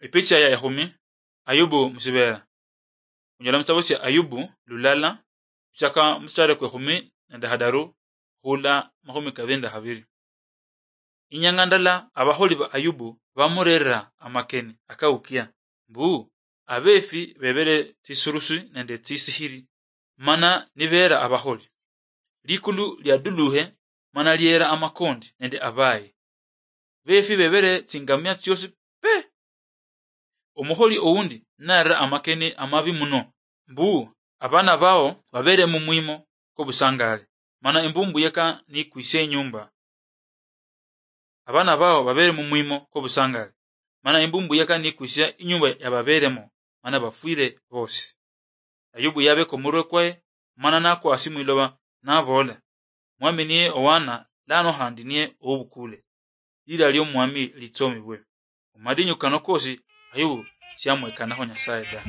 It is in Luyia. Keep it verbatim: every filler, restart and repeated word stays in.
Epicha ya ekhumi, Ayubu musibera. Onyola musitabo sia Ayubu lulala, kuchaka musitare kwe khumi nende hadaru, hula makhumi kabiri nende habiri. Inyanga ndala abakholi ba Ayubu bamurerera amakeni akaukia, mbu abefi bebere tsisurusi nende tsisihiri, mana nibera abakholi. Likulu liaduluhe, mana liera amakondi nende abaye. Befi bebere tsingamia tsiosi pe. Omukholi oundi narera amakeni amabi muno, mbu abana bao babere mumwimo kobusangale, mana imbumbu yeka nikwisia inyumba. Abana bao babere mumwimo kobusangale, mana imbumbu yeka nikwisia inyumba yababeremo, mana bafwire bosi. Ayubu yabeka omurwe kwaye, mana nakwa asi mwiloba, nabola, "Mwami niye owana, lano handi niye oubukule. Lira liomwami litsomibwe." Mumadinyu kano kosi, Ayubu siamwekanakho Nyasaye ta.